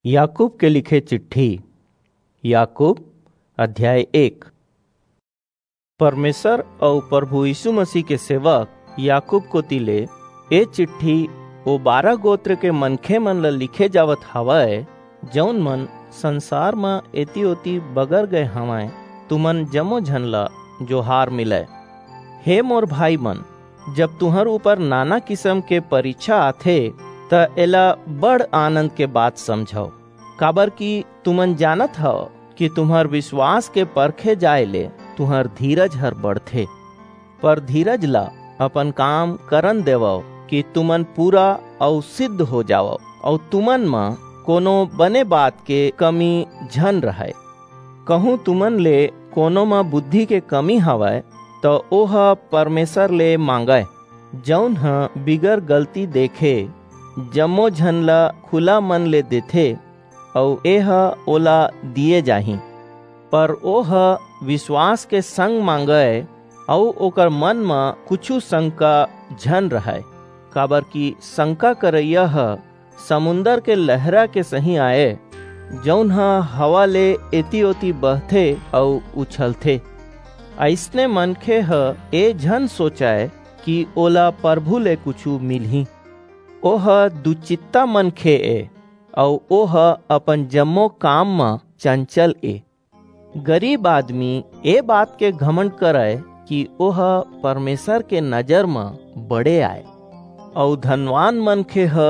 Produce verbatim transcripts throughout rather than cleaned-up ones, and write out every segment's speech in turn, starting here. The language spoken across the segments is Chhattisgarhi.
याकूब के लिखे चिट्ठी। याकूब अध्याय एक। परमेसर अऊ परभू यीसू मसीह के सेवक याकूब कोति ले ए चिट्ठी ओ बारह गोत्र के मनखेमन ला लिखे जावत हवय, जऊन मन संसार म एती-ओती बगर गय हवंय, तुमन जम्मो झन ला जोहार मिलय। हे मोर भाईमन, जब तुंहर ऊपर नाना किसम के परिछा आथे, त एला बड़ आनंद के बात समझव, काबरकि तुमन जानत हव कि तुम्हर बिसवास के परखे जाय ले तुंहर धीरज हर बढ़थे। पर धीरज ला अपन काम करन देवव कि तुमन पूरा अऊ सिद्ध हो जावव, अऊ तुमन म कोनो बने बात के कमी झन रहय। कहूं तुमन ले कोनो म बुद्धि के कमी हवय, त ओह परमेसर ले मांगय, जऊन ह बिगर गलती देखे जम्मो झन ला खुला मन ले देथे, अऊ एह ओला दिये जाही। पर ओह बिसवास के संग मांगय, अऊ ओकर मन म कुछू संका झन रहय, काबरकि संका करइया ह समुंदर के लहरा के सहीं आय, जऊन ह हवा ले एती-ओती बहथे अऊ उछलथे। अइसने मनखे ह ए झन सोचय कि ओला परभू ले कुछू मिलही। ओह दुचित्ता मनखे ए, अऊ ओह अपन जम्मो काम म चंचल ए। गरीब आदमी ए बात के घमंड करय कि ओह परमेसर के नजर म बड़े आय, अऊ धनवान मनखे ह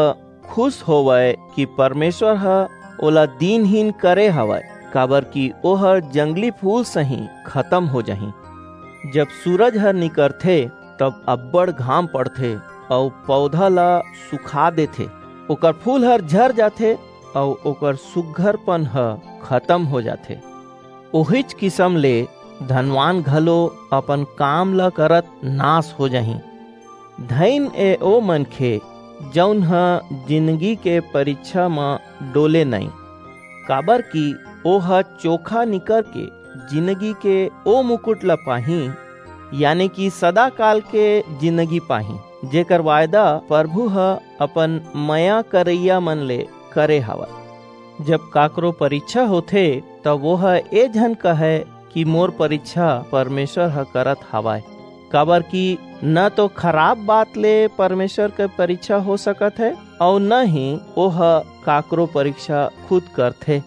खुस होवय कि परमेसर ह ओला दीनहीन करे हवय, काबरकि ओह जंगली फूल सहीं खतम हो जाही। जब सूरज ह निकरथे, तब अब्बड़ घाम पड़थे अऊ पौधा ला सुखा देथे। ओकर फूल हर झर जाथे अऊ ओकर सुघरपन ह खतम हो जाथे। ओहीच किसम ले धनवान घलो अपन काम ला करत नास हो जाही। धइन ए ओ मनखे, जऊन ह जिनगी के परिछा म डोले नइं, काबरकि ओह चोखा निकर के जिनगी के ओ मुकुट ला पाही, याने कि सदाकाल के जिनगी पाही, जेकर वायदा परभू ह अपन मया करइया मन ले करे हवय। जब काकरो परिछा होथे, त ओह ए झन कहय कि मोर परिछा परमेसर ह करत हवय, काबरकि न तो खराब बात ले परमेसर के परिछा हो सकत हे, अऊ न ही ओह काकरो परिछा खुद करथे।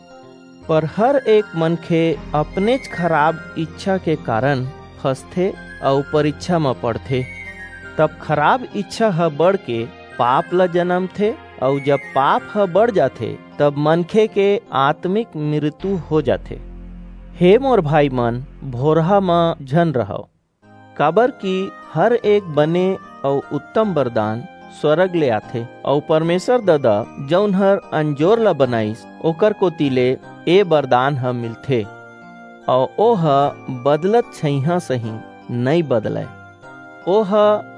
पर हर एक मनखे अपनेच खराब इच्छा के कारन फंसथे अऊ परिछा म पड़थे। तब खराब इच्छा ह बढ़ के पाप ल जनमथे, अऊ जब पाप ह बढ़ जाथे, तब मनखे के आत्मिक मृत्यु हो जाथे। हे मोर भाईमन, भोरहा म झन रहव, काबरकि हर एक बने अऊ उत्तम बरदान स्वरग ले आथे, अऊ परमेसर ददा, जऊन हर अंजोर ला बनाईस, ओकर कोति ले ए बरदान ह मिलथे, अऊ ओह बदलत छइहां सहीं नइं बदलय। ओह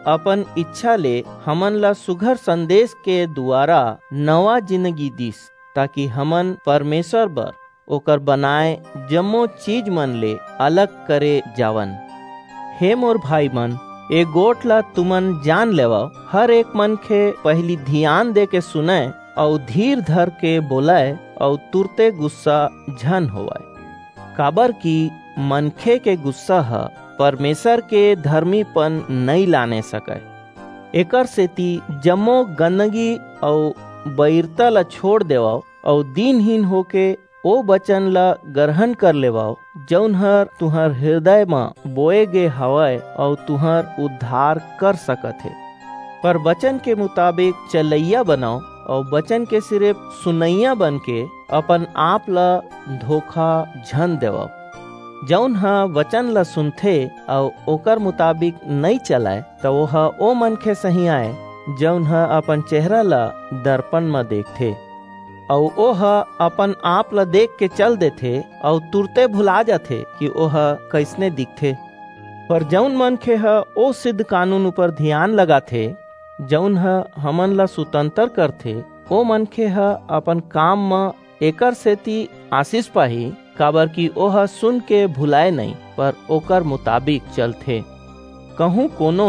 अपन इच्छा ले हमन ला सुघर संदेस के दुवारा नवा जिनगी दीस, ताकि हमन परमेसर बर ओकर बनाय जम्मो चीजमन ले अलग करे जावन। हे मोर भाईमन, ए गोठ ला तुमन जान लेवव, हर एक मनखे पहिली धियान देके सुनय अऊ धीर धरके बोलय अऊ तुरते गुस्सा झन होवय, काबरकि मनखे के गुस्सा ह परमेसर के धरमीपन नइं लाने सकय। एकरसेति जम्मो गंदगी अऊ बईरता ला छोंड़ देवव अऊ दीनहीन होके ओ बचन ला गरहन कर लेवव, जऊन हर तुंहर हिरदय म बोए गे हवय अऊ तुंहर उद्धार कर सकत हे। पर बचन के मुताबिक चलइया बनव अऊ बचन के सिरिप सुनइया बनके अपन-आप ला धोखा झन देवव। जऊन ह बचन ला सुनथे अऊ ओकर मुताबिक नइं चलय, त ओह ओ मनखे सहीं आय, जऊन ह अपन चेहरा ला दरपन म देखथे, अऊ ओह अपन-आप ला देखके चल देथे अऊ तुरते भुला जाथे कि ओह कइसने दिखथे। पर जऊन मनखे ह ओ सिद्ध कानून ऊपर धियान लगाथे, जऊन ह हमन ला सुतंतर करथे, ओ मनखे ह अपन काम म एकरसेति आसिस पाही, काबरकि ओह सुनके भुलाय नइं, पर ओकर मुताबिक चलथे। कहूं कोनो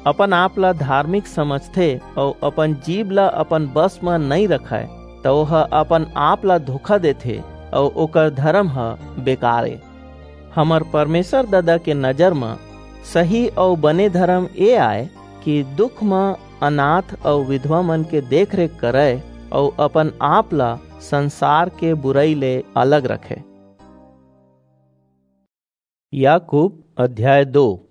अपन-आप ला धारमिक समझथे अऊ अपन जीभ ला अपन बस म नइं रखय, त ओह अपन आप ला धोखा देथे, अऊ ओकर धरम ह बेकार ए। हमर परमेसर ददा के नजर म सही अऊ बने धरम ए आय कि दुख म अनाथ अऊ बिधवा मन के देख-रेख करय अऊ अपन आप ला संसार के बुरई ले अलग रखय। याकूब अध्याय दो।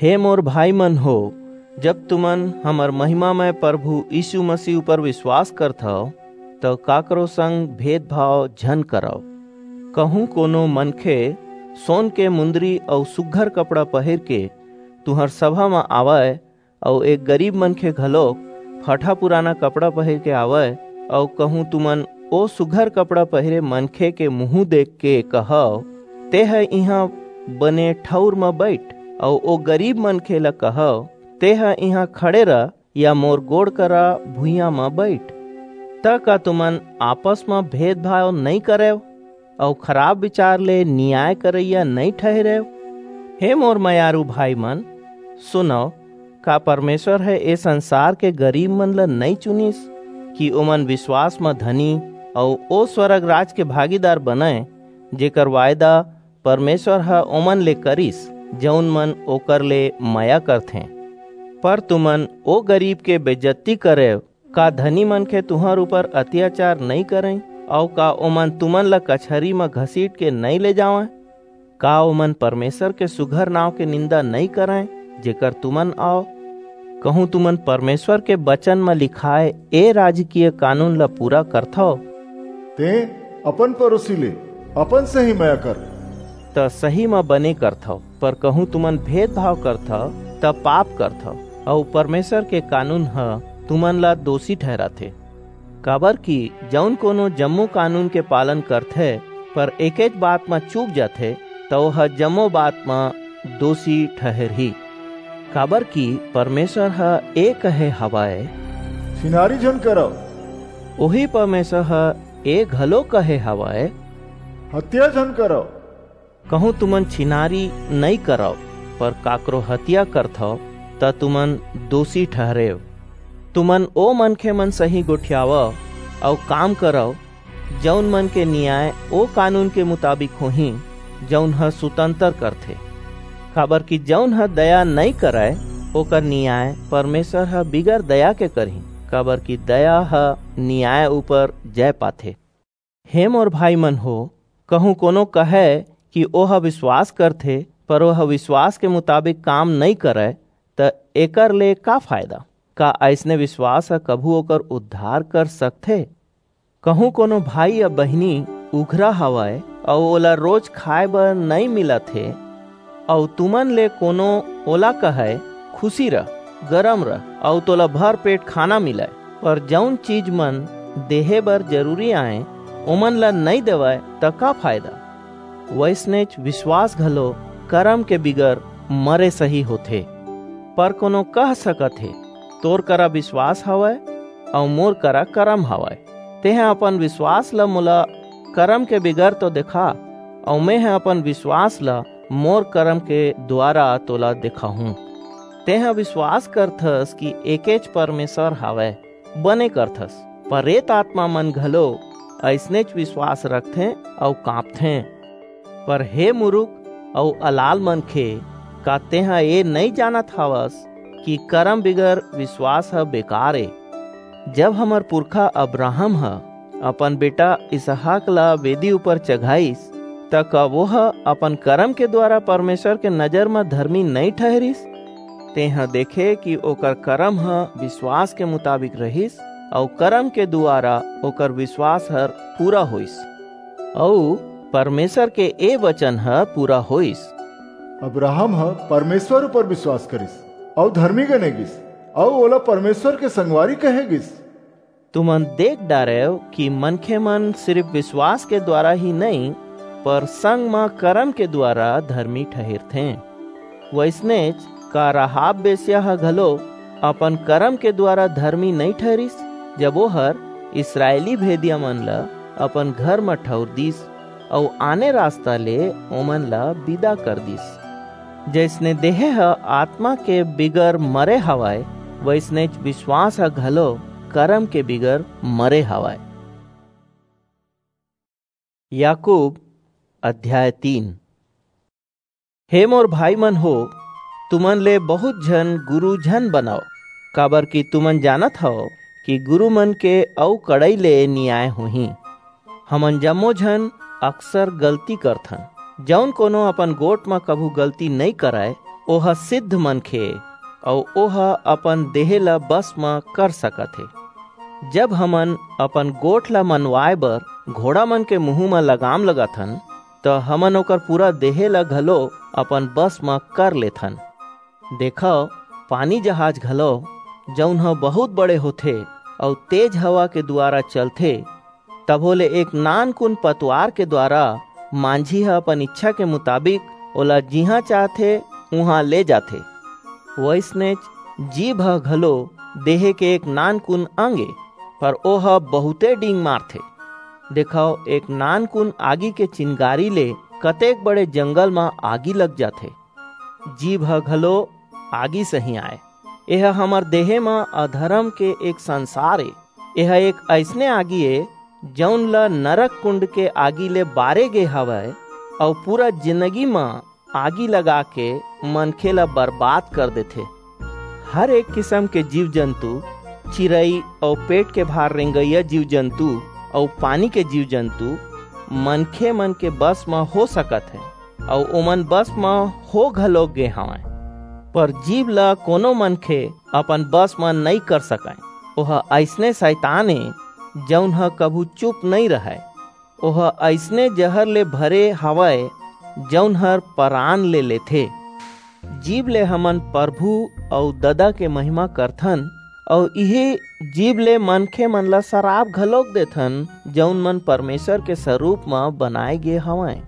हे मोर भाई मन हो, जब तुमन हमर महिमामय परभू यीसू मसीह ऊपर बिसवास करथव, त काकरो संग भेदभाव झन करव। कहूं कोनो मनखे सोन के मुंदरी अऊ सुघर कपड़ा पहिर के तुंहर सभा म आवय, अऊ एक गरीब मनखे घलोक फटहा पुराना कपड़ा पहिर के आवय, अऊ कहूं तुमन ओ सुघर कपड़ा पहिरे मनखे के मुहूं देख के कहव, "तेंह इहां बने ठऊर म बईठ," अऊ ओ गरीब मनखे ला कहव, "तेंह इहां खड़े रह, या मोर गोड़ करा भुइयां म बईठ," त का तुमन आपस म भेदभाव नइं करेव? अऊ खराप बिचार ले नियाय करइया नइं ठहिरेव? हे मोर मयारू भाई मन, सुनव, का परमेसर ह ए संसार के गरीब मन ल नइं चुनिस कि ओमन बिसवास म धनी अऊ ओ स्वरग राज के भागीदार बनय, जेकर वायदा परमेसर ह ओमन ले करिस, जऊन मन ओकर ले मया करथें? पर तुमन ओ गरीब के बेजत्ती करेव। का धनी मनखे तुंहर ऊपर अतियाचार नइं करंय? अऊ का ओमन तुमन ला कचहरी म घसीट के नइं ले जावंय? का ओमन परमेसर के सुघर नांव के निंदा नइं करंय, जेकर तुमन अव? कहूं तुमन परमेसर के बचन म लिखाय ए राजकीय कानून ला पूरा करथव, "तें अपन परोसी ले अपन सहीं मया कर," त सही म बने करथव, पर कहूं तुमन भेदभाव करथव, त पाप करथव, अऊ परमेसर के कानून ह तुमन ला दोसी ठहिराथे। काबरकि जऊन कोनो जम्मो कानून के पालन करथे, पर एकेच बात म चूक जाथे, त ओह जम्मो बात म दोसी ठहिरही। काबरकि परमेसर ह ए कहे हवय, "छिनारी झन करव।" ओही परमेसर ह ए घलो कहे हवय, "हतिया झन करव।" कहूं तुमन छिनारी नइं करव, पर काकरो हतिया करथव, त तुमन दोसी ठहिरेव। तुमन ओ मनखे मन सहीं गोठियावव अऊ काम करव, जऊन मन के नियाय ओ कानून के मुताबिक होही, जऊन ह सुतंतर करथे। काबरकि जऊन ह दया नइं करय, ओकर नियाय परमेसर ह बिगर दया के करही, काबरकि दया ह नियाय ऊपर जय पाथे। हे मोर भाई मन हो, कहूं कोनो कहय कि ओह बिसवास करथे, पर ओह बिसवास के मुताबिक काम नइं करय, त एकर ले का फायदा? का अइसने बिसवास ह कभू ओकर उद्धार कर सकथे? कहूं कोनो भाई या बहिनी उघरा हवय अऊ ओला रोज खाय बर नइं मिलत हे, अऊ तुमन ले कोनो ओला कहय, "खुसी रह, गरम रह," अऊ तोला भर पेट खाना मिलय, पर जऊन चीज मन देहे बर जरूरी आंय, ओमन ला नइं देवय, त का फायदा? वइसनेच बिसवास घलो करम के बिगर मरे सही होथे। पर कोनो कह सकत हे, "तोर करा बिसवास हवय, अऊ मोर करा करम हवय। तेंह अपन बिसवास ल मोला करम के बिगर तो देखा, अऊ मेंह अपन बिसवास ल मोर करम के दुवारा तोला देखाहूं।" तेंह बिसवास करथस कि एकेच परमेसर हवय, बने करथस। परेत आतमा मन घलो अइसनेच बिसवास रखथें अऊ कांपथें। पर हे मुरुख अऊ अलाल मनखे, का तेंह ए नइं जानत हवस कि करम बिगर बिसवास ह बेकार ए? जब हमर पुरखा अब्राहम ह अपन बेटा इसहाक ला बेदी ऊपर चघाईस, त का ओह अपन करम के दुवारा परमेसर के नजर म धरमी नइं ठहिरिस? तेंह देखे कि ओकर करम ह बिसवास के मुताबिक रहिस, अऊ करम के दुवारा ओकर बिसवास हर पूरा होईस, अऊ परमेसर के ए बचन ह पूरा होईस। अब्राहम ह परमेसर ऊपर बिसवास करिस, अऊ धरमी गने गीस, अऊ ओला परमेसर के संगवारी कहे गीस। तुमन देख डारेव कि मनखे मन सिरिप बिसवास के दुवारा ही नइं, पर संग म करम के दुवारा धरमी ठहिरथें। वइसनेच का राहाब बेस्या ह घलो अपन करम के दुवारा धरमी नइं ठहिरिस, जब ओहर इसरायली भेदिया मन ल अपन घर म ठऊर दीस, अऊ आने रसता ले ओमन ल बिदा कर दीस। जइसने देह ह आतमा के बिगर मरे हवय, वइसनेच बिसवास ह घलो करम के बिगर मरे हवय। याकूब अध्याय तीन। हे मोर भाई मन हो, तुमन ले बहुत झन गुरु झन बनव, काबर कि तुमन जानत हव कि गुरु मन के अउ कड़ई ले न्याय होही। हमन जम्मो झन अक्सर गलती करथन। जऊन कोनो अपन गोठ म कभू गलती नइं करय, ओह सिद्ध मनखे, अऊ ओह अपन देहे ल बस म कर सकत हे। जब हमन अपन गोठ ल मनवाय बर घोड़ा मन के मुहूं म लगाम लगाथन, त हमन ओकर पूरा देहे ल घलो अपन बस म कर लेथन। देखव, पानी जहाज घलो, जऊन ह बहुत बड़े होथे अऊ तेज हवा के दुवारा चलथे, तभो ले एक नानकुन पतवार के दुवारा मांझी ह अपन इच्छा के मुताबिक ओला जिहां चाहथे, उहां ले जाथे। वइसनेच जीभ ह घलो देहे के एक नानकुन अंग ए, पर ओह बहुते डींग मारथे। देखव, एक नानकुन आगी के चिनगारी ले कतेक बड़े जंगल म आगी लग जाथे। जीभ ह घलो आगी सहीं आय। एह हमर देहे म अधरम के एक संसार ए। एह एक अइसने आगी ए, जऊन ल नरक कुंड के आगी ले बारे गे हवय, अऊ पूरा जिनगी म आगी लगा के मनखे ल बरबाद कर देथे। हर एक किसम के जीव जंतु, चिरई अऊ पेट के भार रेंगइया जीव जंतु अऊ पानी के जीव जंतु मनखे मन के बस म हो सकत हे, अऊ ओमन बस म हो घलोक गे हवंय। पर जीव ल कोनो मनखे अपन बस म नइं कर सकय। ओह अइसने सैतान ए, जऊन ह कभू चुप नइं रहय। ओह अइसने जहर ले भरे हवय, जऊन हर परान ले लेथे। जीव ले हमन परभू अऊ ददा के महिमा करथन, अऊ इही जीव ले मनखे मन ला सराप घलोक देथन, जऊन मन परमेसर के सरूप म बनाय गे हवंय।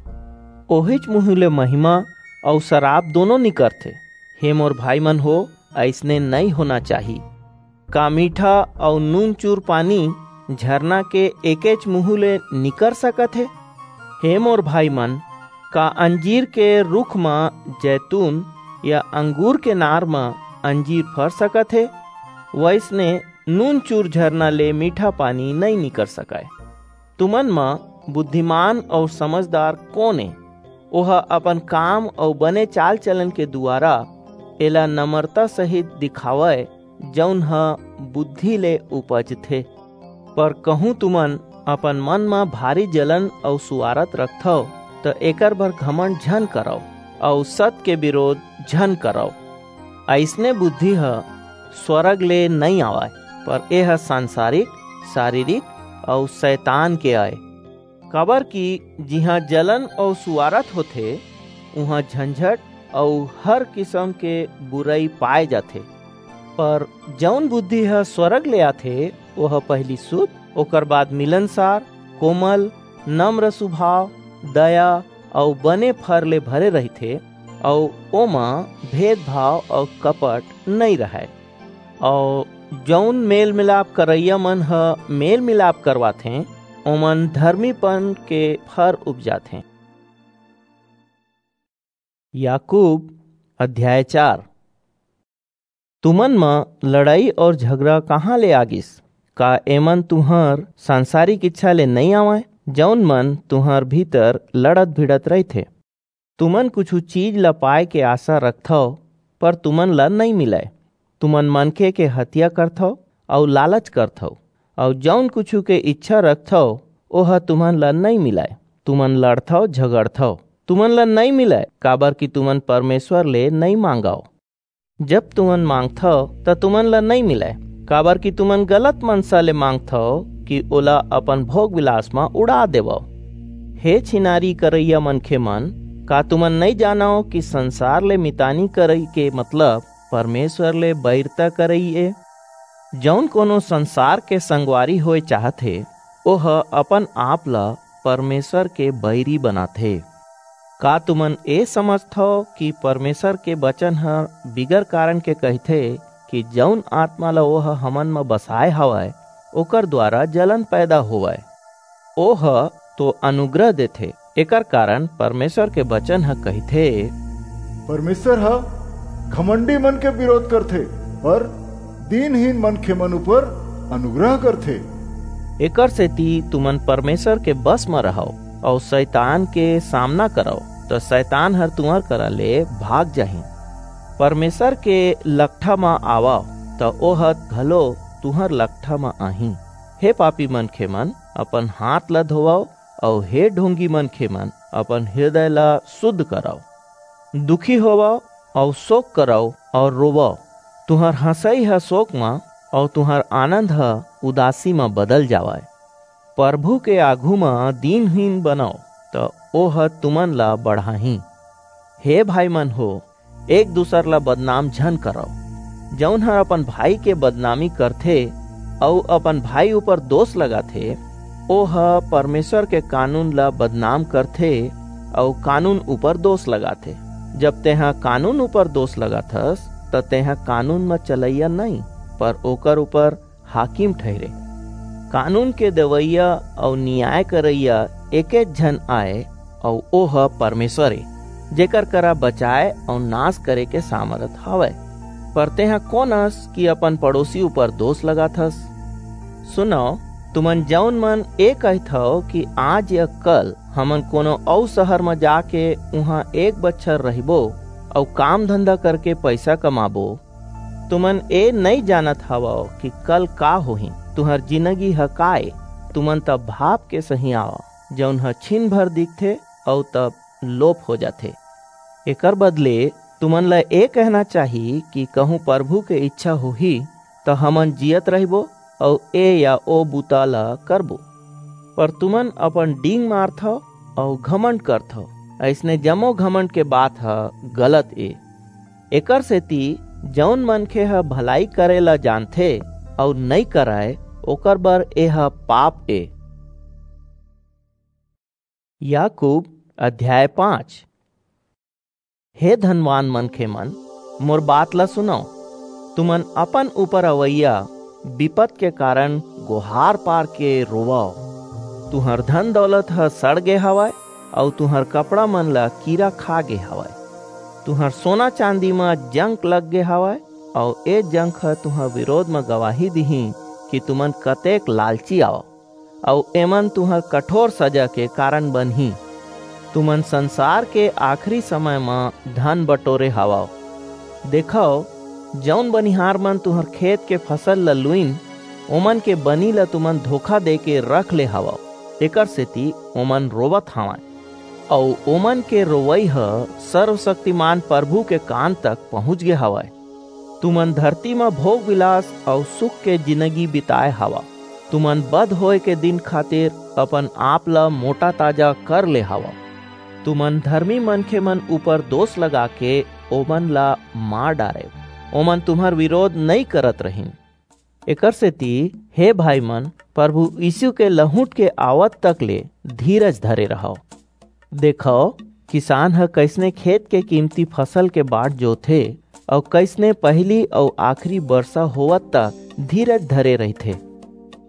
ओहीच मुहूं ले महिमा अऊ सराप दूनों निकरथे। हे मोर भाई मन हो, अइसने नइं होना चाही। का मीठा अऊ नूनचूर पानी झरना के एकेच मुहूं ले निकर सकत हे? हे मोर भाई मन, का अंजीर के रूख म जैतून या अंगूर के नार म अंजीर फर सकत हे? वइसने नूनचूर झरना ले मीठा पानी नइं निकर सकय। तुमन म बुद्धिमान अऊ समझदार कोन ए? ओह अपन काम अऊ बने चाल-चलन के दुवारा एला नम्रता सहित दिखावय, जऊन ह बुद्धि ले उपजथे। पर कहूं तुमन अपन मन म भारी जलन अऊ सुवारत रखथव, त एकर बर घमंड झन करव अऊ सत के बिरोध झन करव। अइसने बुद्धि ह स्वरग ले नइं आवय, पर एह सांसारिक, सारीरिक अऊ सैतान के अय। काबर कि जिहां जलन अऊ सुवारत होथे, उहां झंझट अऊ हर किसम के बुरई पाय जाथे। पर जऊन बुद्धि ह स्वरग ले आथे, ओह पहिली सुध, ओकर बाद मिलनसार, कोमल, नम्र सुभाव, दया अऊ बने फर ले भरे रहिथे, अऊ ओमा भेदभाव अऊ कपट नइं रहय। अऊ जऊन मेल-मिलाप करइया मन ह मेल-मिलाप करवाथें, ओमन धरमीपन के फर उपजाथें। याकूब अध्याय चार। तुमन म लड़ई अऊ झगरा कहां ले आ गिस? का एमन तुंहर सांसारिक इच्छा ले नइं आवंय, जऊन मन तुंहर भीतर लड़त-भिड़त रहिथे? तुमन कुछू चीज ल पाय के आसा रखथव, पर तुमन ल नइं मिलय। तुमन मनखे के हतिया करथव अऊ लालच करथव, अऊ जऊन कुछू के इच्छा रखथव, ओह तुमन ल नइं मिलय। तुमन लड़थव, झगड़थव, तुमन ल नइं मिलय, काबर कि तुमन परमेसर ले नइं मांगव। जब तुमन मांगथव, त तुमन ल नइं मिलय, काबर कि तुमन गलत मनसा ले मांगथव कि ओला अपन भोग-बिलास म उड़ा देवव। हे छिनारी करइया मनखे मन, का तुमन नइं जानव कि संसार ले मितानी करई के मतलब परमेसर ले बईरता करई ए? जऊन कोनो संसार के संगवारी होय चाहत हे, ओह अपन आप ल परमेसर के बईरी बनाथे। का तुमन ए समझथव कि परमेसर के बचन ह बिगर कारन के कहिथे कि जऊन आतमा ल ओह हमन म बसाय हवय, ओकर दुवारा जलन पैदा होवय? ओह तो अनुग्रह देथे। एकर कारन परमेसर के बचन ह कहिथे, परमेसर ह घमंडी मन के बिरोध करथे, पर दीनहीन मनखे मन ऊपर अनुग्रह करथे। एकर सेती तुमन परमेसर के बस म रहव अऊ सैतान के सामना करव, त सैतान हर तुंहर करा ले भाग जाही। परमेसर के लकठा म आवव, त ओह घलो तुंहर लकठा म आही। हे पापी मनखेमन, अपन हांथ ला धोवव, अऊ हे ढोंगी मनखेमन, अपन हिरदय ला सुध करव। दुखी होवव अऊ सोक करव अऊ रोवव। तुंहर हंसई ह सोक म अऊ तुंहर आनंद ह उदासी म बदल जावय। परभू के आघू म दीनहीन बनव, त ओह तुमन ला बढ़ाही। हे भाईमन हो, एक दूसर ला बदनाम झन करव। जऊन हर अपन भाई के बदनामी करथे अऊ अपन भाई ऊपर दोस लगाथे, ओह परमेसर के कानून ला बदनाम करथे अऊ कानून ऊपर दोस लगाथे। जब तेंह कानून ऊपर दोस लगाथस, त तेंह कानून म चलइया नइं, पर ओकर ऊपर हाकिम ठहिरे। कानून के देवइया अऊ नियाय करइया एकेच झन आय, अऊ ओह परमेसर ए, जेकर करा बचाय अऊ नास करे के सामरथ हवय। पर तेंह कोन अस कि अपन पड़ोसी ऊपर दोस लगाथस? सुनव, तुमन जऊन मन ए कहिथव कि आज या कल हमन कोनो अऊ सहर म जाके उहां एक बछर रहिबो अऊ काम-धंधा करके पईसा कमाबो, तुमन ए नइं जानत हवव कि कल का होही, तुंहर जिनगी ह का ए? तुमन त भाप के सहीं आवव, जऊन ह छिन भर दिखथे अऊ तब लोप हो जाथे। एकर बदले तुमन ला ए कहना चाही कि कहूं परभू के ईछा होही, त हमन जीयत रहिबो अऊ ए या ओ बुता ला करबो। पर तुमन अपन डींग मारथव अऊ घमंड करथव। अइसने जम्मो घमंड के बात ह गलत ए। एकर सेती जऊन मनखे ह भलाई करे ला जानथे अऊ नइं करय, ओकर बर एह पाप ए। याकूब अध्याय पाँच। हे धनवान मनखेमन, मोर बात ला सुनव। तुमन अपन ऊपर अवइया बिपत के कारन गोहार पार के रोवव। तुंहर धन-दौलत ह सड़ गे हवय, अऊ तुंहर कपड़ा मन ला कीरा खा गे हवय। तुंहर सोना-चांदी म जंक लग गे हवय, अऊ ए जंक ह तुंहर बिरोध म गवाही दिही कि तुमन कतेक लालची अव। अऊ एमन तुंहर कठोर सजा के कारन बनही। तुमन संसार के आखिरी समय म धन बटोरे हवव। देखव, जऊन बनिहार मन तुंहर खेत के फसल ल लुईन, ओमन के बनी ल तुमन धोखा देके रख ले हवव, एकर सेती ओमन रोवत हवंय। अऊ ओमन के रोवई ह सर्वशक्तिमान परभू के कान तक पहुंच गे हवय। तुमन धरती म भोग-विलास अऊ सुख के जिनगी बिताय हवव। तुमन बध होय के दिन खातिर अपन आप ल मोटा-ताजा कर ले हवव। तुमन धरमी मनखेमन ऊपर दोस लगाके ओमन ला मार डारेव। ओमन तुम्हर बिरोध नइं करत रहिन। एकरसेति, हे भाईमन, परभू यीसू के लहुंट के आवत तक ले धीरज धरे रहव। देखव, किसान ह कइसने खेत के कीमती फसल के बाट जोथे अऊ कइसने पहिली अऊ आखिरी बरसा होवत तक धीरज धरे रहिथे।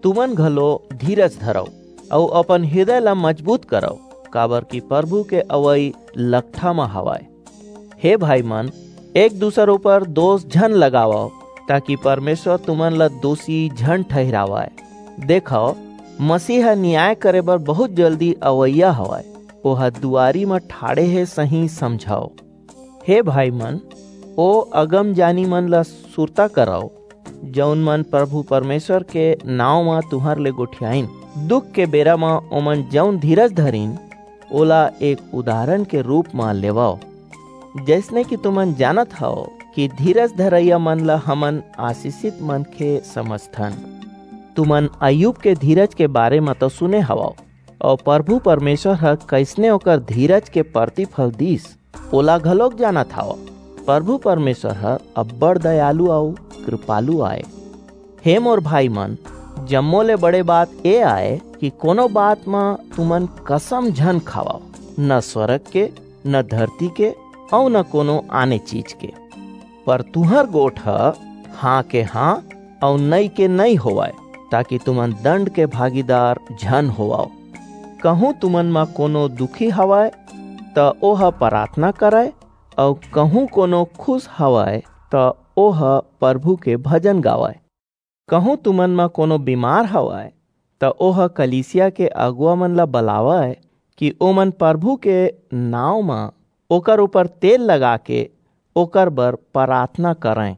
तुमन घलो धीरज धरव अऊ अपन हिरदय ला मजबूत करव, काबरकि परभू के अवई लकठा म हवय। हे भाईमन, एक-दूसर ऊपर दोस झन लगावव, ताकि परमेसर तुमन ला दोसी झन ठहिरावय। देखव, मसीह ह नियाय करे बर बहुंत जल्दी अवइया हवय। ओह दुवारी म ठाढ़े हे सहीं समझव। हे भाईमन, ओ अगमजानीमन ला सुरता करव, जऊन मन परभू परमेसर के नांव म तुम्हर ले गोठियाईन। दुख के बेरा म ओमन जऊन धीरज धरिन, ओला एक उदारन के रूप म लेवव। जइसने कि तुमन जानत हव कि धीरज धरइयामन ला हमन आसीसित मनखे समझथन। तुमन अय्यूब के धीरज के बारे म तो सुने हवव, अऊ परभू परमेसर ह कइसने ओकर धीरज के परतिफल दीस, ओला घलोक जानत हव। परभू परमेसर ह अब्बड़ दयालु अऊ किरपालु आय। हे मोर भाईमन, जम्मो ले बड़े बात ए आय कि कोनो बात म तुमन कसम झन खावव, न स्वरग के, न धरती के, अऊ न कोनो आने चीज के। पर तुंहर गोठ ह हां के हां अऊ नइं के नइं होवय, ताकि तुमन दंड के भागीदार झन होवव। कहूं तुमन म कोनो दुखी हवय, त ओह पराथना करय, अऊ कहूं कोनो खुस हवय, त ओह परभू के भजन गावय। कहूं तुमन म कोनो बीमार हवय, त ओह कलीसिया के अगुवा मन ला बलावय कि ओमन प्रभु के नांव म ओकर ऊपर तेल लगा के ओकर बर प्रार्थना करंय।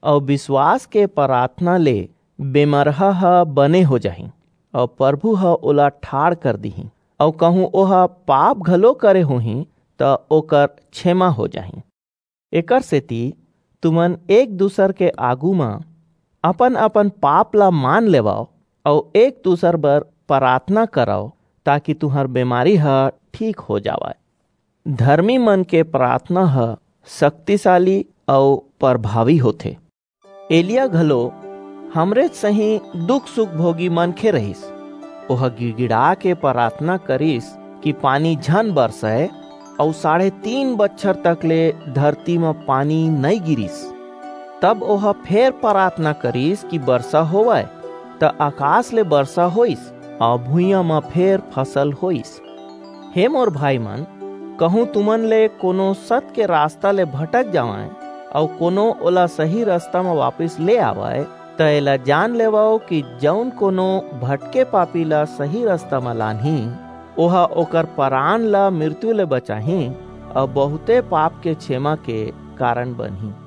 अऊ विश्वास के प्रार्थना ले बेमरहा ह बने हो जाही, अऊ प्रभु ह ओला ठाढ़ कर दीही, अऊ कहूं ओह पाप घलो करे होही, त ओकर क्षमा हो जाही। एकर सेती तुमन एक दूसर के आगू म अपन-अपन पाप ला मान लेवव, अऊ एक दूसर बर प्रार्थना करव, ताकि तुंहर बेमारी ह ठीक हो जावय। धर्मी मन के प्रार्थना ह शक्तिशाली अऊ प्रभावी होथे। एलिया घलो हमरे सही दुख सुख भोगी मनखे रहिस। ओह गिड़गिड़ा के प्रार्थना करिस कि पानी झन बरसय, अऊ साढ़े तीन बच्छर तक ले धरती म पानी नइ गिरिस। तब ओह फेर प्रार्थना करिस कि बरसा होवय, त आकाश ले बरसा होइस, अऊ भुइयां म फेर फसल होइस। हे मोर भाई मन, कहूं तुमन ले कोनो सत के रास्ता ले भटक जावय, अऊ कोनो ओला सही रास्ता म वापिस ले आवय, त एला जान लेवव कि जऊन कोनो भटके पापी ला सही रास्ता म लानही, ओह ओकर परान ला मृत्यु ले बचाही, अऊ बहुते पाप के क्षमा के कारण बनही।